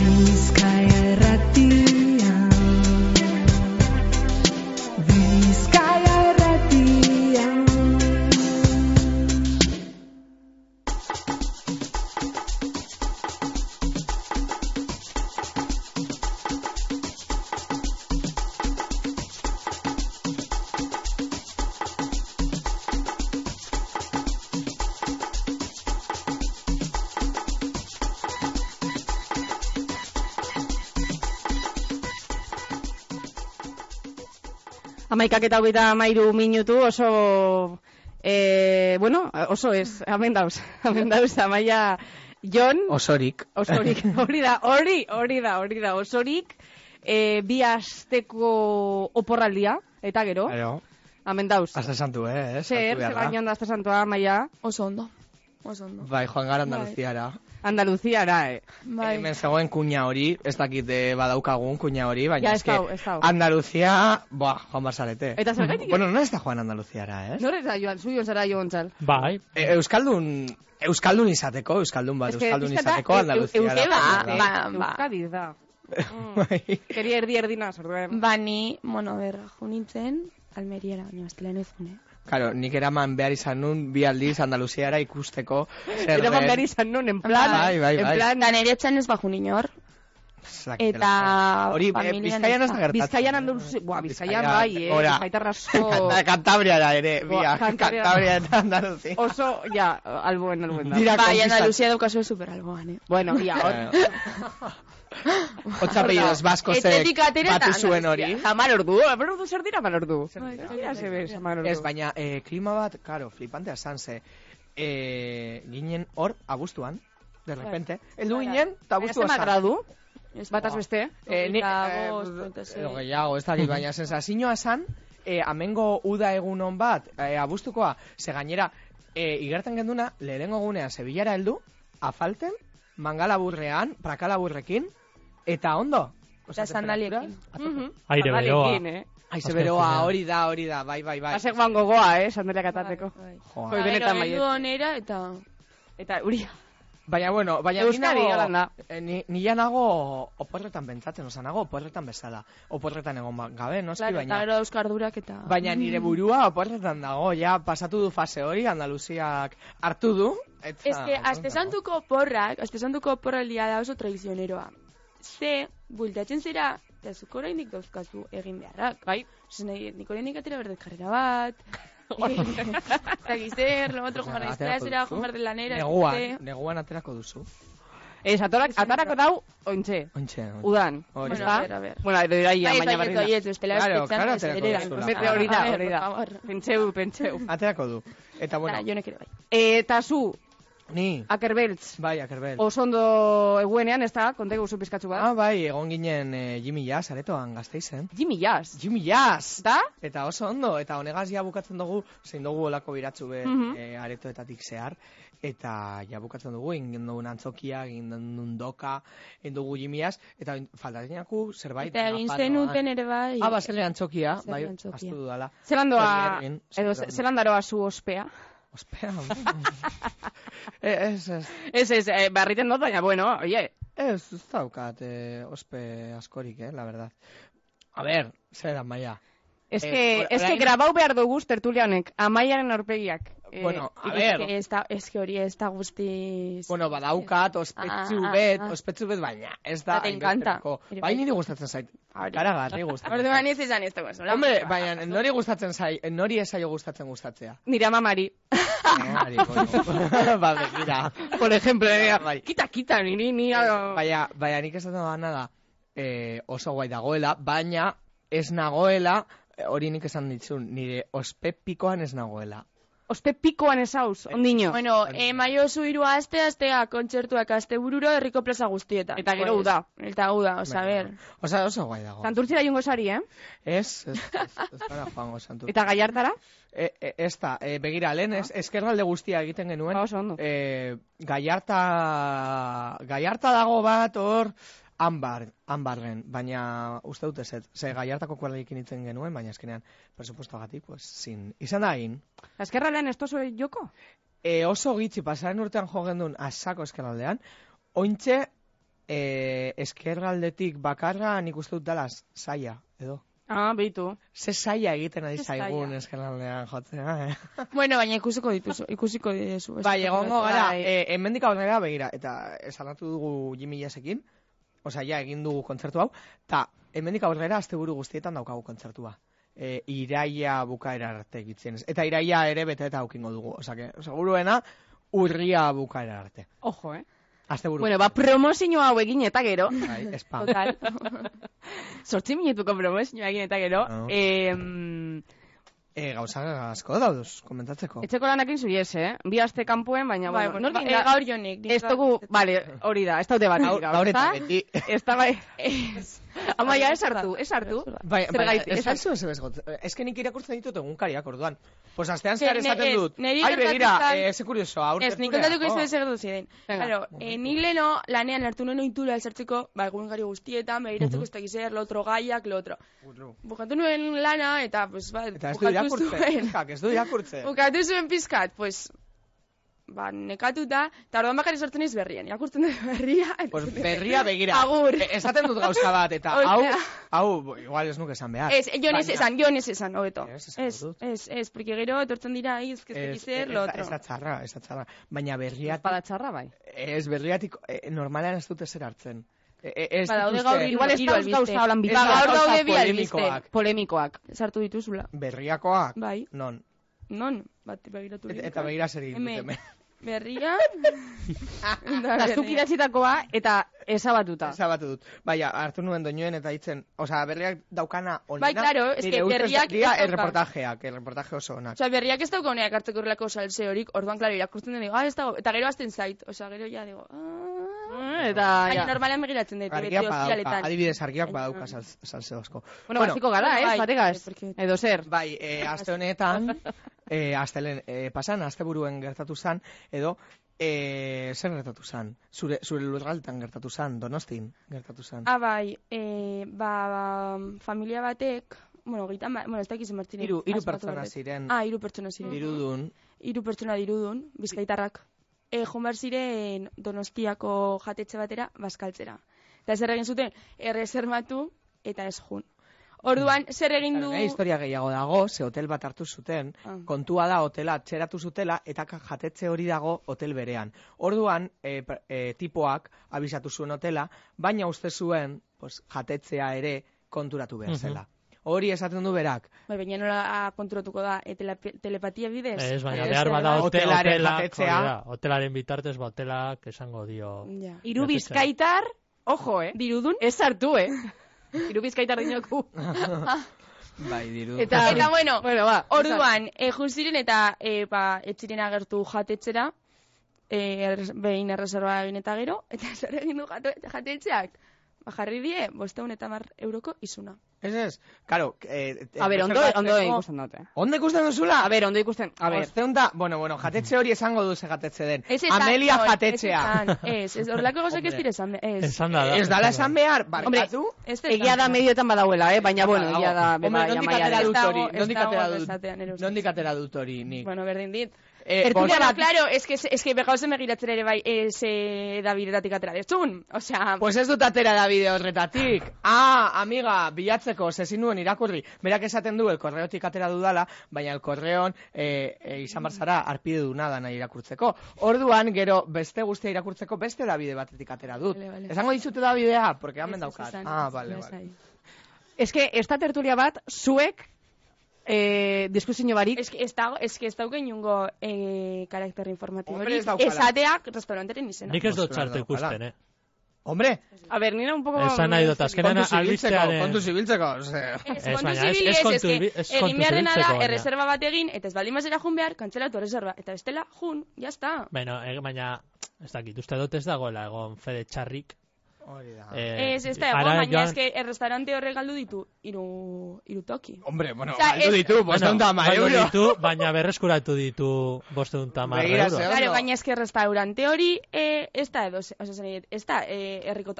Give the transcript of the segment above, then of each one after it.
Bizkaia Irratia. Bizkaia Irratia. Amaikak eta 33 minutu oso, oso ez, hemen dauz, Amaia Jon. Osorik, hori da, osorik, bi asteko oporraldia, eta gero, hemen dauz. Aste santu, Zer baino da aste santua, Amaia? Oso ondo. Bai, joan gara Andaluziara. Andaluziara, Bai. Hemen zegoen kuña hori, ez dakit badaukagun kuña hori, baina Ja, eske ez dau. Andaluzia, joan barzarete. Eta zergatik? Bueno, no ez da joan Andaluziara, Nor ez da joan, zuion zara joan txal. Bai. Euskaldun izateko, euskaldun izateko Andaluziara. Euskadi da. Keri erdi-erdina, zorduen. Bani, junintzen, Almeriara, baina estela nezune. Claro, nik eraman behar izan nun, bi aldiz Andaluziara ikusteko zer den. Eraman behar izan nun, en plan, Bai. En plan, da nire etxan ez bajun inor. Eta hori, Bizkaian ez da gertatzen. Bizkaian Andaluzia, Bizkaian bai, Bizkaitar asko. Kantabriara ere, Kantabria eta Andaluzia. Oso, alboen da. Bai, Andaluzia daukazu super alboan, Bueno, Otzapellidos baskoze batu zuen hori. Hamar ordu zer dira hamar ordu? Ez, baina klima bat, karo, flipantea zan ze. Ginen hor, abuztuan, de repente. Eldu ginen, eta abuztua zan. Zema gradu? Bataz beste? Gehiago, ez dakit, baina sensazioa zan, amengo uda egunon bat, abuztukoa, ze gainera, igertan genduna, lehenengo gunean, Sevillara heldu, afalten, mangalaburrean, prakalaburrekin, eta ondo. Eta sandaliekin. Aire beroa. Aize beroa, hori da, bai. Pasek guan gogoa, sandaliak atateko. Joa. Benetan bai. Eta onera, eta uria. Baina Euskadi galanda. Nila nago oporretan bentsatzen, nago oporretan bezala. Oporretan egon gabe, noski, baina... Eta gero euskardurak eta... Baina nire burua oporretan dago, pasatu du fase hori, Andaluziak hartu du. Ez que, astesantuko oporraldia da oso tradizioneroa. Ze, bultatzen zera, eta zuko oraindik dauzkazu egin beharrak, bai? Nik oraindik atera berdet karrera bat, eta gizer, lo otro, joan aizteazera, joan behar de lanera, Neguan aterako duzu. Atarako dau, ointxe. Udan. Bueno, a ver. Bueno, iraia, baina barrina. Bai, bestela hori da. Pentseu. Aterako du. Eta bueno. Jonek ere bai. Eta zu, Ni. Akerbeltz. Bai, Akerbeltz. Oso ondo eguenean, ez da? Kontegu zu pizkatzu bat. Bai, egon ginen Jimmy Jazz aretoan Gasteizen. Jimmy Jazz! Da? Eta oso ondo, eta honegaz ja bukatzen dugu, zein dugu olako biratzu aretoetatik zehar, eta ja bukatzen dugu, egin dugu antzokia, egin dugu doka, egin dugu Jimmy Jazz, eta faltatenaku zerbait. Eta egin zenuten ere bai. Zele antzokia, bai, astu dudala. Zelandaroa zu ospea? Ospea. Ez, barriten dut, baina, bueno, oie. Ez daukat ospe askorik, la verdad. A ver, zer da, Maia. Ez que grabau behar dugu tertulia honek, Amaiaren aurpegiak. Bueno, a ver. Ez que hori ez da guztiz... Bueno, badaukat, ospetsu bet, baina ez da... Te encanta. Bai, niri gustatzen zait. Karagarri gustatzen. Orduan ez izan ez dagoen. Hombre, baina nori gustatzen zait, nori esaio gustatzea. Nire amamari. Ba, begira. Por ejemplo, kita, niri... Baina nik ez da nada oso guai dagoela, baina ez nagoela, hori nik esan ditzun, nire ospepikoan ez nagoela. Ospe pikoan ez hauz, ondino. Bueno, maio zu 3 astea kontzertuak astebururo herriko plaza guztietan. Eta gero uda. Osa, ber. Osa, oso guai dago. Santurtzira jongo sari, Ez para joango Santurtzira. Eta Gallartara? Ez da, begira, lehen eskerralde guztia egiten genuen. Oso ondo. Gallarta dago bat hor... Ambarren, baina uste dut ez, ze Gallartako kuadrilekin itzen genuen, baina eskenean, presupuestoagatik, pues, izan da egin. Eskerraldean ez tozu joko? Oso gitzi, pasaren urtean jo gendun asako eskerraldean, ointxe eskerraldetik bakarra nik uste dut dala saia, edo. Ah, behitu. Ze saia egiten ari Ze zaigun saia. eskerraldean jotzea, Bueno, baina ikusiko dizu. Bai, egongo gara, Bai. hemendik aurrera begira, eta esanatu dugu Jimmy Jassekin, osea, ja egin dugu kontzertu hau, eta hemendik aurrera asteburu guztietan daukagu kontzertua. Iraia bukaera arte egitzen. Eta iraia ere bete eta aukingo dugu. Osea, seguruena urria bukaera arte. Ojo, Asteburu. Bueno, promozio hau egin eta gero. Bai, spam. Total. 8 minutuko promozioa egin eta gero. Ah. Gauza asko dauduz, komentatzeko. Etxeko lanakin zuiez, Bi aste kanpoen, baina, Bai, bueno, bueno, nor gaur jonik. ez dugu, vale, hori da, ez daude bat. Gaur eta beti. Ez da bai. Amaia, ez hartu. Bai, Zergatik, ez alzu ez bezgot. Ez que nik irakurtzen ditut egunkariak orduan. Pues astean Ze, zehar esaten dut. neri Ai, begira, gertatu ze kurioso, aurte. Ez, nik kontatuko ez zer du ziren. Venga. Claro, nik leno lanean hartu nuen ohitura esartzeko, egunkari guztietan, begiratzeko ez dakiz zer, lo otro gaiak, lo otro. Bukatu nuen lana, eta, pues, Eta ez du irakurtzen. Ez du irakurtzen. Bukatu zuen pizkat, pues, nekatuta, eta orduan bakarri sortzen iz berrian. Irakurtzen dut berria. Pues berria begira. Agur. Esaten dut gauza bat, eta hau, igual ez nuke esan behar. Ez, jon ez esan, hobeto. Ez, porque gero etortzen dira, ez zer, lo otro. Ez da txarra. Baina berriatik... Espada txarra, bai. Ez, berriatik, normalean ez dute zer hartzen. Daude gaur Igual ez dauz gauza holan Ba, gaur daude bi albiste. Polemikoak. Sartu dituzula. Berriakoak? Bai. Non, bat begiratu. eta begira zer egin dut hemen. Berria. Eta zuk idatzitakoa eta ezabatuta. Ezabatu dut. Baina, hartu nuen doinuen eta hitzen, osea, berriak daukana onena. Bai, claro, es que berriak ez dauka. Erreportaje oso onak. Osea, berriak ez dauka honeak hartzeko horrelako salse horik, orduan, claro, irakurtzen den, digo, ez dago, eta gero azten zait, osea, gero ja, digo, Eta, baina normalean begiratzen dut, beti ofizialetan. Adibidez, argiak badauka salse asko. Bueno, basiko gara, bai, bategaz. Edo zer. Bai, aste honetan, pasan, asteburuen gertatu zan, edo, zer gertatu zan? Zure lurraldetan gertatu zan, Donostin gertatu zan. Bai, familia batek, bueno, ez dakiz emartziren. Hiru pertsona ziren. Hiru pertsona ziren. Dirudun. Hiru pertsona dirudun, bizkaitarrak. Joan behar ziren Donostiako jatetxe batera, bazkaltzera. Eta zer egin zuten, erresermatu eta ez jun. Orduan, zer egin du... Historia gehiago dago, ze hotel bat hartu zuten, kontua da hotela txeratu zutela, eta jatetxe hori dago hotel berean. Orduan, tipoak abisatu zuen hotela, baina uste zuen jatetzea ere konturatu behar zela. Hori esaten du berak. Baina nola konturatuko da, telepatia bidez? Ez, baina behar bada hotelaren bitartez, hotelak esango dio... Hiru bizkaitar, ojo, dirudun? Ez hartu, Hiru bizkaitar dinoku. Bai, dirudun. Eta bueno, orduan, juziren eta etxiren agertu jatetxera, behin erreserba egin eta gero, eta zer egin du jatetxeak? Jarri die, 510 euroko izuna. Ez, karo... A ber, ondo ikusten dute. Ondo ikusten duzula? A ber, ondo ikusten, a ber. Bueno, jatetxe hori esango duze jatetxe den. Amelia jatetxea. Ez horrelako gozak ez dire esan. Ez dala esan behar, barkatu? Egia da medioetan badauela, baina bueno, egia da... Nondik atera dut hori, nik? Bueno, berdin dit. Tertuliana, claro, es que begauzen begiratzen ere bai, Davidetatik atera dezun. Osea... Pues ez dut atera Davide horretatik. Amiga, bilatzeko, sezin nuen irakurri. Berak esaten du, elkorreotik atera dudala, baina elkorreon izan barzara arpide du nada nahi irakurtzeko. Orduan, gero, beste guztia irakurtzeko, beste Davide batetik atera dut. Esango dizute Davidea, porque hamen daukat. Vale. Ez que, esta tertulia bat, zuek, diskusio barik. Ez dauke inungo karakter informatibo. Esateak restauranteren izena. Nik ez dut txartu ikusten, Hombre, a ver, nina un poco... Esan nahi dut, azkenean albistearen... Kontu zibiltzeko, Ez kontu zibiltzeko. Erreserba bat egin, eta ez baldin mazera jun behar, kantzelatu erreserba. Eta bestela, jun, jazta. Baina, ez dakit, uste dut ez dagoela egon fede txarrik. Ez da egon, baina ez que errestaurante horre galdu ditu iru toki. Hombre, bueno, galdu ditu, 510 euro. Baina berreskuratu ditu 510 euro. Claro, baina ez que restaurante hori ez da edo, ez da herriko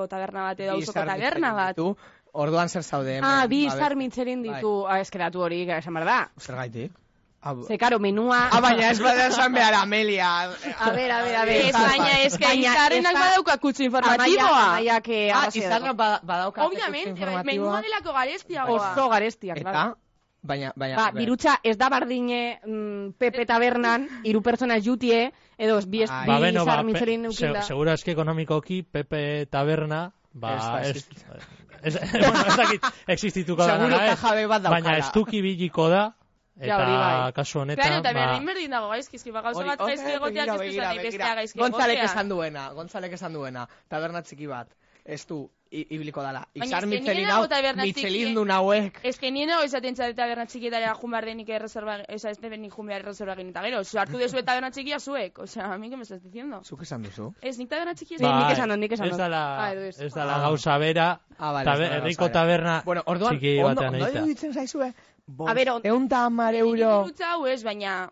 taberna bat edo auzoko taberna bat. Orduan zer zaude. Bi izar mitzerin ditu, eskeratu hori, esan behar da. Zer gaitik? Ze, karo, menua... Baina ez bada esan behar, Amelia. A ver. Ez, baina ez que izarrenak badauka kutsu informatiboa. Amaiak Izarrak badauka Obviamente, menua delako garestiagoa. Oso garestia, Eta, claro. baina... Birutza ez da bardine Pepe Tabernan, 3 pertsona jutie, edo bi izar mitxerin neukinda. Segura eski ekonomikoki Pepe Taberna, ez dakit existituko da Seguro nara, jabe bat daukala. baina estuki biliko da, eta kasu Claro, honetan, eta berdin dago gaizkizki, gauza bat gaizki egoteak ez duzan bestea gaizki egotea. Gontzalek esan duena, taberna txiki bat, ez du ibiliko dala. Baina Izar ez que Michelin nien hau, nago taberna txiki- Michelin du nauek. Ez que nien nago izaten txate taberna txikietara jumar denik erreserva, esa ez debenik jumar erreserva egin eta gero, hartu dezu taberna txikia zuek, o sea, a mí que me estás diciendo. Zuk esan duzu? Ez, nik taberna txikia Nik esan dut. Ez dala gauza bera, herriko taberna Bueno, orduan, txiki batean ondo egitea. ditzen zaizue? A ver, 110 euro. Dirutza hau ez, baina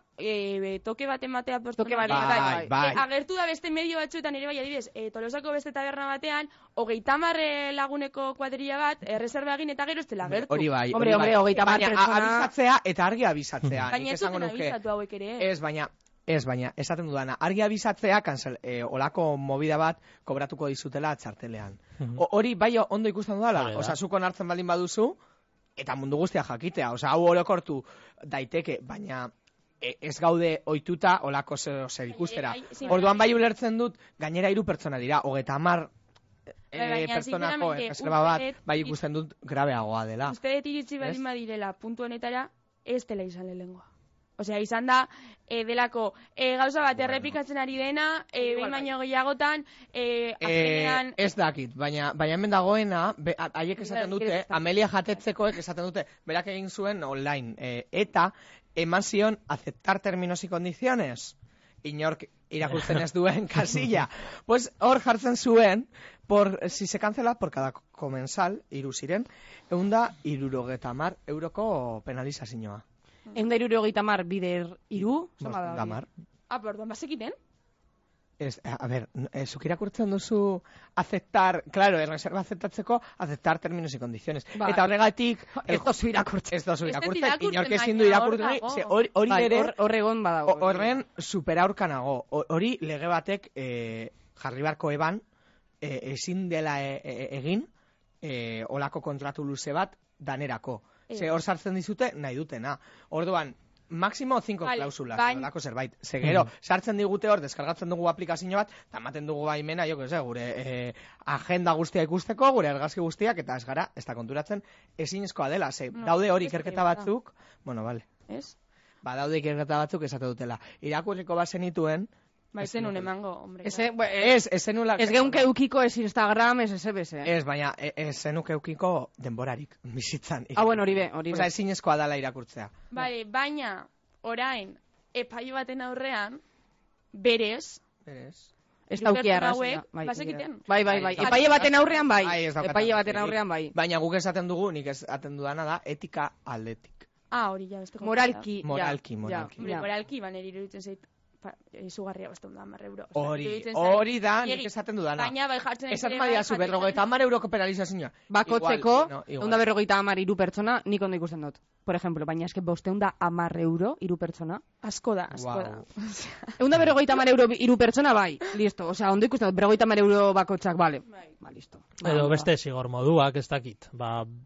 toke bat ematea Toke bat ematea, bai. Agertu da beste medio batzuetan ere bai adibidez, Tolosako beste taberna batean, 30 laguneko kuadrilla bat, erreserba egin eta gero ez dela agertu. Hori bai. Hombre, 30 Baina pertsona... abisatzea eta argi abisatzea. Baina Nik ez esango zuten nuke. abisatu hauek ere. Ez, baina, esaten dudana, argi abisatzea, olako movida bat kobratuko dizutela txartelean. Hori, bai, ondo ikusten dudala, osea, zuk onartzen baldin baduzu, eta mundu guztia jakitea, osea, hau orokortu daiteke, baina ez gaude ohituta olako zer ikustera. Orduan bai ulertzen dut, gainera 3 pertsona dira, 30 pertsonako erreserba bat, bai ikusten dut grabeagoa dela. Uste dut iritsi baldin badirela puntu honetara, ez dela izan lehengoa. Osea, izan da, delako, gauza bat errepikatzen ari dena, behin baino gehiagotan, azkenean... Ez dakit, baina hemen dagoena, haiek esaten dute, Amelia jatetzekoek esaten dute, berak egin zuen online, eta eman zion aceptar términos y condiciones. Inork irakurtzen ez duen kasilla. Pues hor jartzen zuen, si se cancela por cada comensal, 3 ziren, 170 euroko penalizazioa. 170 bider 3, Damar. Orduan bazekiten? A ver, zuk irakurtzen duzu aceptar, claro, reserva aceptatzeko, aceptar términos y condiciones. Eta horregatik... Ez dozu irakurtzen. Ez dozu irakurtzen, inork ezin du irakurtzen. Hori ere... Horregon badago. Horren superaurkanago. Hori lege batek jarri barko eban, ezin dela egin, olako kontratu luze bat danerako. Ze hor sartzen dizute nahi dutena. Orduan, máximo 5 klausulas, olako zerbait. Ze gero, sartzen digute hor, deskargatzen dugu aplikazio bat, eta ematen dugu baimena, gure agenda guztia ikusteko, gure argazki guztiak, eta ez gara, ez da konturatzen, ezinezkoa dela. Ze daude hori ikerketa batzuk, bueno, vale. Ez? Daude ikerketa batzuk esate dutela. Irakurriko bazenituen, Ez zenun emango, hombre. Ez zenula... Ez geunke eukiko ez Instagram, ez SBS. Ez, baina ez zenuke eukiko denborarik, bizitzan. Bueno, hori be. Osa, ezinezkoa dela irakurtzea. Bale, baina, orain, epaio baten aurrean, berez... Ez daukia arrazia. Bazekiten? Bai. Epaile baten aurrean bai. Epaile baten aurrean bai. Baina guk esaten dugu, nik esaten dudana da, etika aldetik. Hori ja, beste Moralki. Moralki, baneri iruditzen zait. Izugarria beste 110 euro. Hori da, nik esaten dudana. Baina bai jartzen esaten badia zu, 50 euroko penalizazioa. Bakotzeko, 150 pertsona, nik ondo ikusten dut. Por ejemplo, baina eske 510 euro 3 pertsona. Asko da. 150 euro 3 pertsona, bai, listo. Osea, ondo ikusten dut, 50 euro bakotxak, vale. Ba, listo. Edo beste zigor moduak, ez dakit.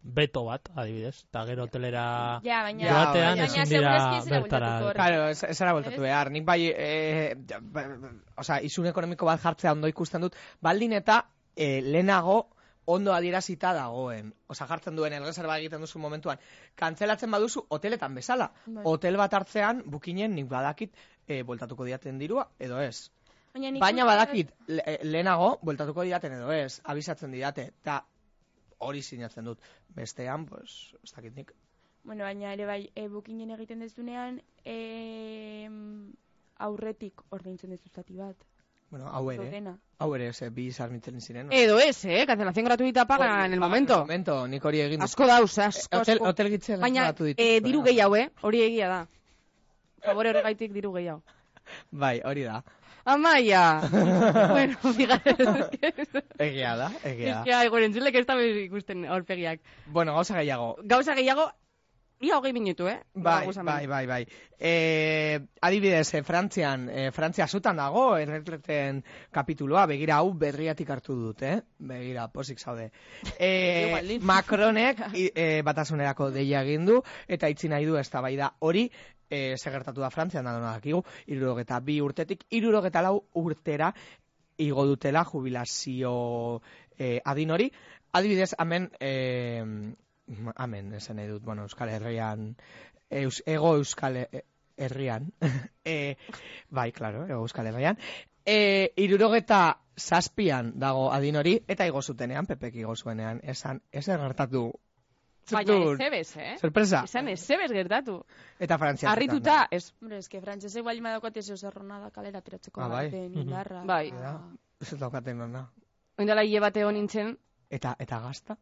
Beto bat, adibidez. Eta gero hotelera joatean ezin dira bertara. Claro, ez ara voltatu behar. Nik bai, izun ekonomiko bat jartzea ondo ikusten dut, baldin eta lehenago ondo adierazita dagoen. Jartzen duen erreserba egiten duzu momentuan. Kantzelatzen baduzu hoteletan bezala. Hotel bat hartzean, bukinen nik badakit bueltatuko diaten dirua, edo ez. Baina badakit lehenago bueltatuko diaten edo ez. Abisatzen didate. Eta hori sinatzen dut. Bestean, pues, ez dakit nik. Bueno, baina ere bai, bukinen egiten dezunean, aurretik ordaintzen dezu zati bat. Bueno, hau ere, bi sarmitzen ziren. Edo ez, cancelación gratuita paga en el momento. Nik hori egin. Asko dauz, asko. Hotel gitzen gratuito. Baina, diru gehiago, hori egia da. Favore horregaitik diru gehiago. Bai, hori da. Amaia! Bueno, fíjate. Egia da. Es que hay gorentzulek ez da ikusten aurpegiak. Bueno, gauza gehiago. Gauza gehiago, Ia 20 minutu, Bai. Adibidez, Frantzia zutan dago, erretreten kapituloa, begira hau berriatik hartu dut, Begira, posik zaude. Macronek batasunerako deia egin du, eta itzi nahi du eztabaida hori, segertatu da Frantzian, da dakigu, 62 urtetik, 64 urtera igo dutela jubilazio adin hori. Adibidez, hemen esan nahi dut, Euskal Herrian, ego Euskal Herrian, bai, klaro, ego Euskal Herrian, 67an dago adin hori, eta igo zutenean, Pepek igo zuenean, esan, ez gertatu. Baina ezebez, Sorpresa. Esan ezebez gertatu. Eta Frantzia. Arrituta, ez. Hombre, eske frantsesek bali madaukat ez zerrona da kalera tiratzeko baten indarra. Bai. Ez daukaten nona. Oindala hile bate hon nintzen. Eta gazta.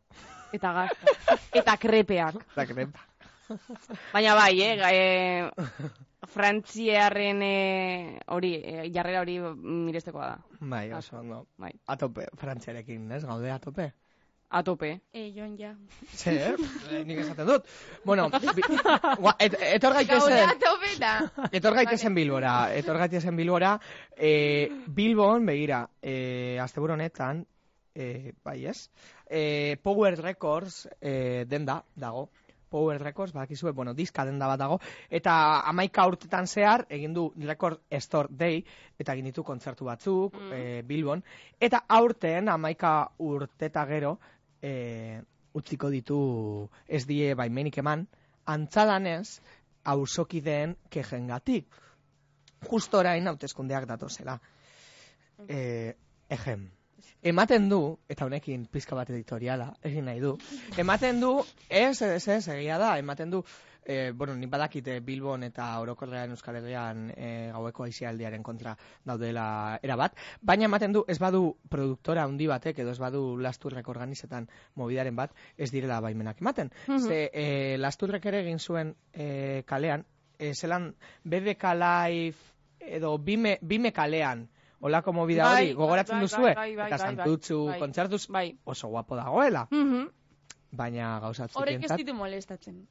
Eta krepeak. Baina bai, frantziarren hori, jarrera hori mirestekoa da. Bai, oso ondo. Atope, frantziarekin, ez? Gaude atope? Atope. Joan ja. Zer, nik esaten dut. Bueno, etor gaitezen Bilbora. Bilbon, begira, asteburu honetan, bai ez, Power Records denda dago. Power Records, badakizue, diska denda bat dago, eta 11 urtetan zehar, egin du Record Store Day, eta egin ditu kontzertu batzuk, Bilbon, eta aurten 11 urteta gero, utziko ditu ez die baimenik eman, antzadanez, auzokideen kejengatik. Justo orain hauteskundeak datozela. Ematen du, eta honekin pizka bat editoriala, egin nahi du, ematen du, ez, egia da, ematen du, nik badakite Bilbon eta orokorrean Euskal Herrian gaueko aisialdiaren kontra daudela erabat, baina ematen du, ez badu produktora handi batek, edo ez badu Lasturrek organizetan movidaren bat, ez direla baimenak ematen. Ze Lasturrek ere egin zuen kalean, zelan BBK Live, edo Bime kalean, olako movida hori, gogoratzen duzue, eta Santutxu kontzertuz oso guapo dagoela. Baina gauzatzen horrek ez ditu molestatzen,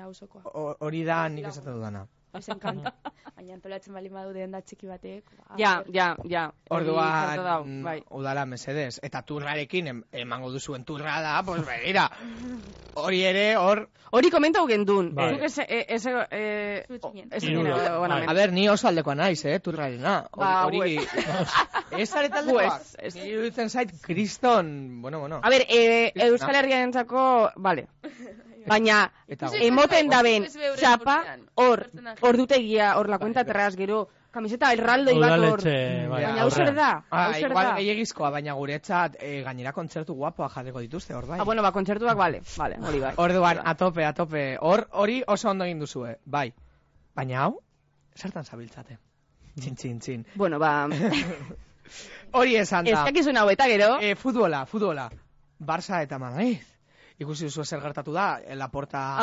hausokoa. Hori da nik esaten dudana. Ez enkanta. Baina antolatzen bali madu denda txiki batek. Ja. Orduan, udala mesedez. Eta turrarekin emango duzuen turra da, pues begira. Hori ere, hori komentau gendun. Zuk a ber, ni oso aldekoa naiz, turrarena. Hori, ez aretaldekoak. Ni iruditzen zait, kriston, bueno. A ber, Euskal Herriaren entzako, vale. Baina, emoten daben txapa, hor dutegia, hor la cuenta atrás, gero, kamiseta erraldoi bat hor. Baina, hau zer da? Igual gehiagizkoa, baina guretzat gainera kontzertu guapoa jarriko dituzte, hor bai. Bueno, kontzertuak, vale, hori bai. Orduan, atope. Hori oso ondo egin duzue, bai. Baina hau, zertan zabiltzate? Txin. Bueno, hori esan da. Ez dakizun hau eta gero. Futbola. Barça eta Madrid. Ikusi duzu zer gertatu da, Laporta,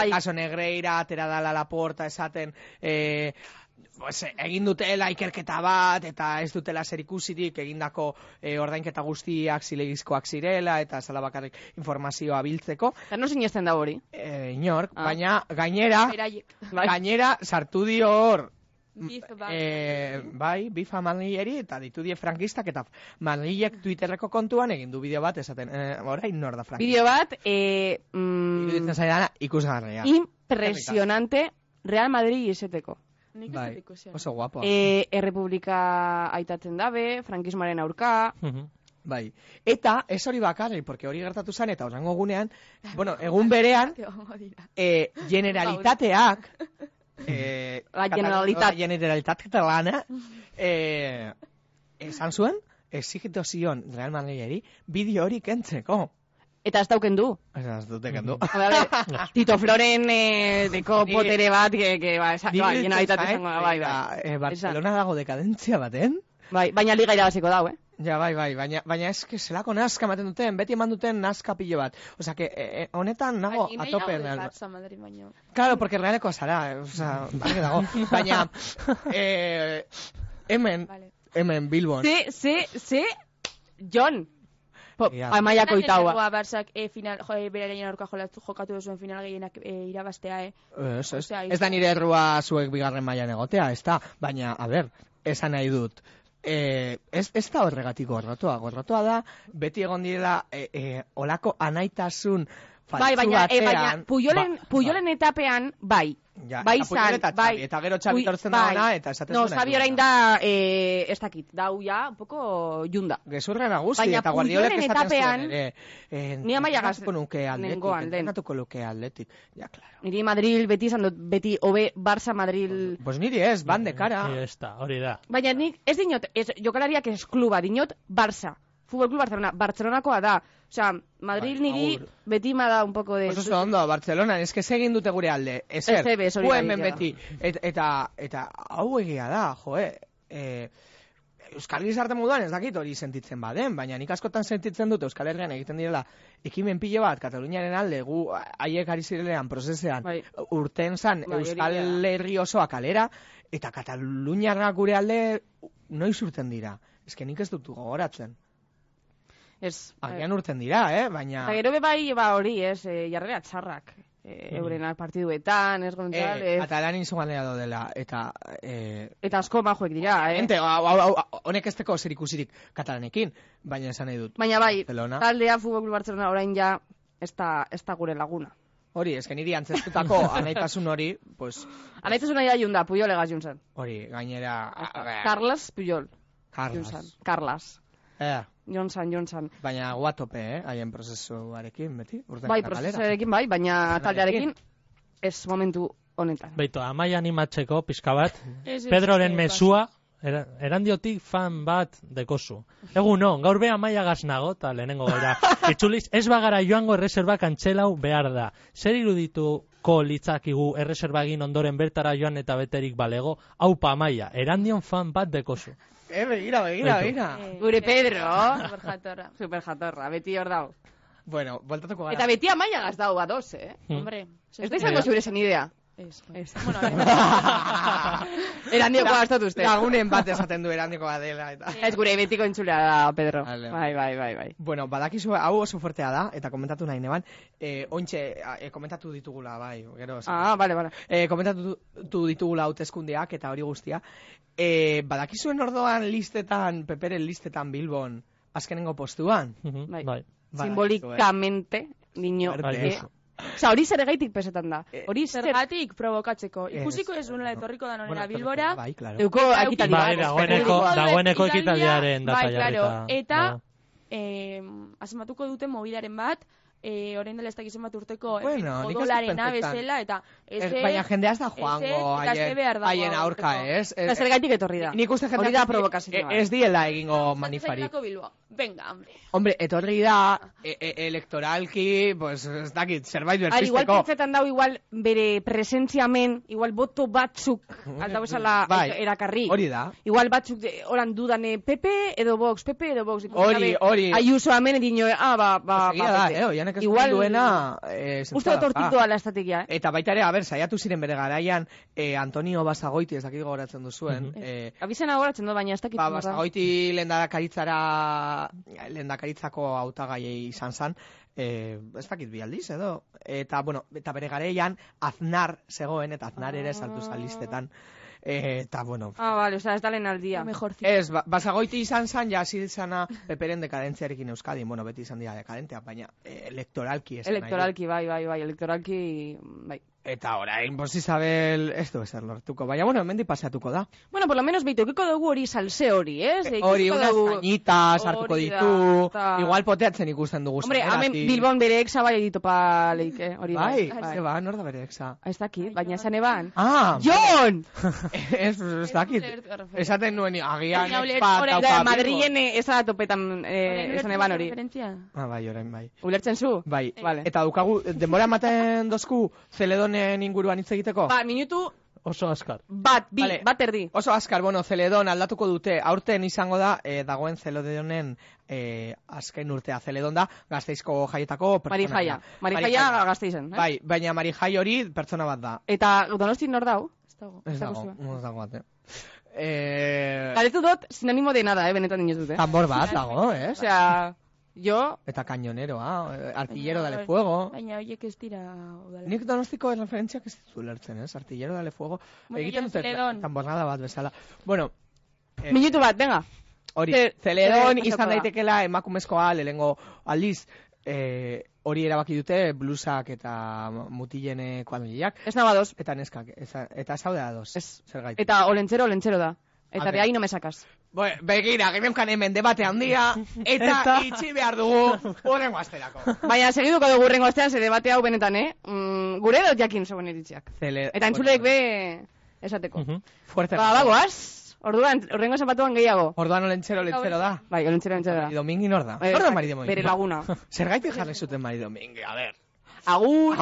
Caso Negreira, atera dala Laporta, esaten, egin dutela ikerketa bat, eta ez dutela zer ikusirik, egindako ordainketa guztiak zilegizkoak zirela, eta zala bakarrik informazioa biltzeko. Eta no sinesten da hori? Inork, baina gainera sartu dio hor, bifa Madrileri eta ditu die frankistak eta Madrilek Twitterreko kontuan egin du bideo bat esaten, orain nor da frankista. Bideo bat, iruditzen zaidana ikusgarria. Impresionante Real Madrid izeteko. Bai, oso guapo. Errepublika aitatzen dabe, frankismoaren aurka. Bai, eta ez hori bakarri, porque hori gertatu zen, eta orango gunean, egun berean, generalitateak, la Generalitat Catalana esan zuen exigitu zion Real Madrideri bideo hori kentzeko. Eta ez dauken du. Ez dute kendu. Tito Floren deko potere bat Generalitat izango da. Barcelona dago dekadentzia baten. Baina liga irabaziko dau, Ja, bai, baina eske zelako nazka ematen duten, beti eman duten nazka pilo bat. Osea, que honetan nago atope. Claro, porque realeko zara, osea, dago. Baina, hemen Bilbon. Ze, John. Amaiako itaua. Barsak final, berarein aurka jokatu duzuen final gehienak irabastea, Ez da nire errua zuek bigarren mailan egotea, ez da, baina, a ber, esan nahi dut. Ez da horregatik gorrotoa da, beti egon direla olako anaitasun faltsu batean. Baina, Puyolen etapean, bai. Bai zan, bai. Eta gero Xabi tortzen da ona, eta esaten zuen. No, Xabi orain da, ez dakit, dau ja, un poco junda. Gezurra nagusi, eta Guardiolek esaten zuen ere. Ni Amaia Entrenatuko luke atletik. Ja, claro. Niri Madrid beti izan dut, beti hobe Barça Madrid... Pues niri ez, ban de cara. Hori da. Baina nik, ez dinot, jokalariak ez kluba, dinot Barça. Fútbol Club Barcelona, Barcelonakoa da. Osea, Madrid niri beti ma da un poco de... Pues oso ondo, Barcelona, ez que segin dute gure alde. Ezer, hemen beti. Eta hau egia da, Euskal Gizarte moduan ez dakit hori sentitzen baden, baina nik askotan sentitzen dut Euskal Herrian egiten direla ekimen pilo bat Kataluniaren alde, gu haiek ari zirelean prozesean urten zan Euskal Herri osoa kalera, eta Kataluniarrak gure alde noiz urten dira. Ez que nik ez dut gogoratzen. Agian urten dira, baina... Eta gero bai hori, jarrera txarrak. Eurenak partiduetan, ez González... Eta lan izuganea dela, eta... Eta asko majoek dira, Honek ez teko zer ikusirik katalanekin, baina esan nahi dut. Baina bai, taldea Fútbol Club Barcelona orain ja, ez da gure laguna. Hori, ez que niri antzestutako anaitasun hori, pues... Anaitasun nahi da junda, Puyol egaz juntzen. Hori, gainera... Carles Puyol. Carles. Johnson. Baina guatope, haien prozesuarekin, beti? Bai, prozesuarekin bai, baina taldearekin ez momentu honetan. Beito, Amaia animatzeko pizka bat, Pedroren mesua, erandiotik fan bat dekozu. Egunon, gaur be Amaia gaznago, eta lehenengo gaira. Itzuliz, ez bagara joango erreserba kantxelau behar da. Zer irudituko litzakigu erreserba egin ondoren bertara joan eta beterik balego? Aupa Amaia, erandion fan bat dekozu. Begira. Gure Pedro. Superjatorra, beti hor dau. Bueno, voltatuko gara. Eta beti Amaia gazdau badoz, Hombre. Ez da izango zure zen idea. Bueno, erandioko gastatu uste. Lagunen bat esaten du erandikoa dela. Ez gure betiko entzulea da, Pedro. Bai. Bueno, badakizu, hau oso fuertea da, eta komentatu nahi neban. Ointxe, komentatu ditugula, bai. Vale. Komentatu ditugula hauteskundeak eta hori guztia. Badakizuen ordoan listetan, Peperen listetan Bilbon, azkenengo postuan? Bai. Simbolikamente, niño. Osa, hori zer egaitik pesetan da. Hori zergatik provokatzeko. Ikusiko ez unela etorriko da nonera Bilbora. Bai, claro. Euko ekitaldia. Dagoeneko ekitaldiaren data jarrita. Eta, asematuko dute mobilaren bat, orain dela ez dakizen bat urteko odolarena bezala, eta baina jendea ez da joango haien aurka, ez? Zer gaitik etorri da. Nik uste jendea ez diela egingo manifarik. Venga, hombre, etorri da elektoralki, pues ez dakit, zerbait berpisteko. Igual pentsetan dau, igual bere presentziamen, igual boto batzuk aldau esala erakarri. Hori da. Igual batzuk horan dudan PP edo Vox. Hori. Ayuso amen edino, igual duena uste otortik doa la estrategia, Eta baita ere, saiatu ziren bere garaian Antonio Basagoiti, ez dakit gogoratzen duzuen. Abizena gogoratzen du, baina ez dakit. Basagoiti lehendakaritzako hautagaiei izan zan, ez dakit bi aldiz edo. Eta bere garaian Aznar zegoen, eta Aznar ere saltu listetan. Eta, bueno... vale, ez da lehen aldia. Ez, Basagoiti izan zan, ja hasi izana Peperen dekadentziarekin Euskadin. Bueno, beti izan dira dekadentea, baina elektoralki ez. Elektoralki, bai, elektoralki, bai. Eta orain, Bos Isabel, ez du ezer lortuko. Baina, bueno, hemendik paseatuko da. Bueno, por lo menos beitokiko dugu hori salse hori, ez? Hori, unas cañitas hartuko ditu. Igual poteatzen ikusten dugu. Hombre, hemen Bilbon bere exa bai editopa leik, hori bai. Bai, nor da bere exa? Ez dakit, baina esan eban. Jon! Ez dakit. Esaten nuen, agian Madrilen eza topetan esan eban hori. Bai, orain bai. Ulertzen zu? Bai. Eta dukagu, denbora ematen dozku Zeledonen inguruan hitz egiteko? Minutu... Oso askar. Bat erdi. Oso askar, Zeledon aldatuko dute. Aurten izango da, dagoen Zeledonen azken urtea. Zeledon da, Gasteizko jaietako pertsona. Marijaia Gasteizen. Bai, baina Marijai hori pertsona bat da. Eta Donostin nor dau? Ez dago bat, Galetu dut, sinonimo de nada, benetan inoz dute. Tambor bat dago, Osea... Jo... Eta cañoneroa, artillero dale fuego. Baina horiek ez dira udala. Nik donostiko referentziak ez ditu lertzen, ez? Artillero dale fuego. Egiten dute tambosnada bat bezala. Bueno... Minutu bat, venga. Hori, Celedon izan daitekela emakumezkoa lehengo aldiz... hori erabaki dute blusak eta mutilene kuadrillak. Ez naba dos. Eta neskak, eta zaudea dos. Zergaitik. Eta olentzero da. Eta de ahí no me sacas. Begira, geneukan hemen debate handia, eta itxi behar dugu urrengo asterako. Baina, segiduko dugu urrengo astean, ze debate hau benetan, gure dut jakin zegoen eritziak. Eta entzuleek be esateko. Fuerte. Bagoaz. Orduan, urrengo zapatuan gehiago. Orduan olentzero da. Bai, olentzero da. Mari Domingi nor da? Nor da Mari Domingi? Bere laguna. Zergaitik jarri zuten Mari Domingi, a ver. Agur.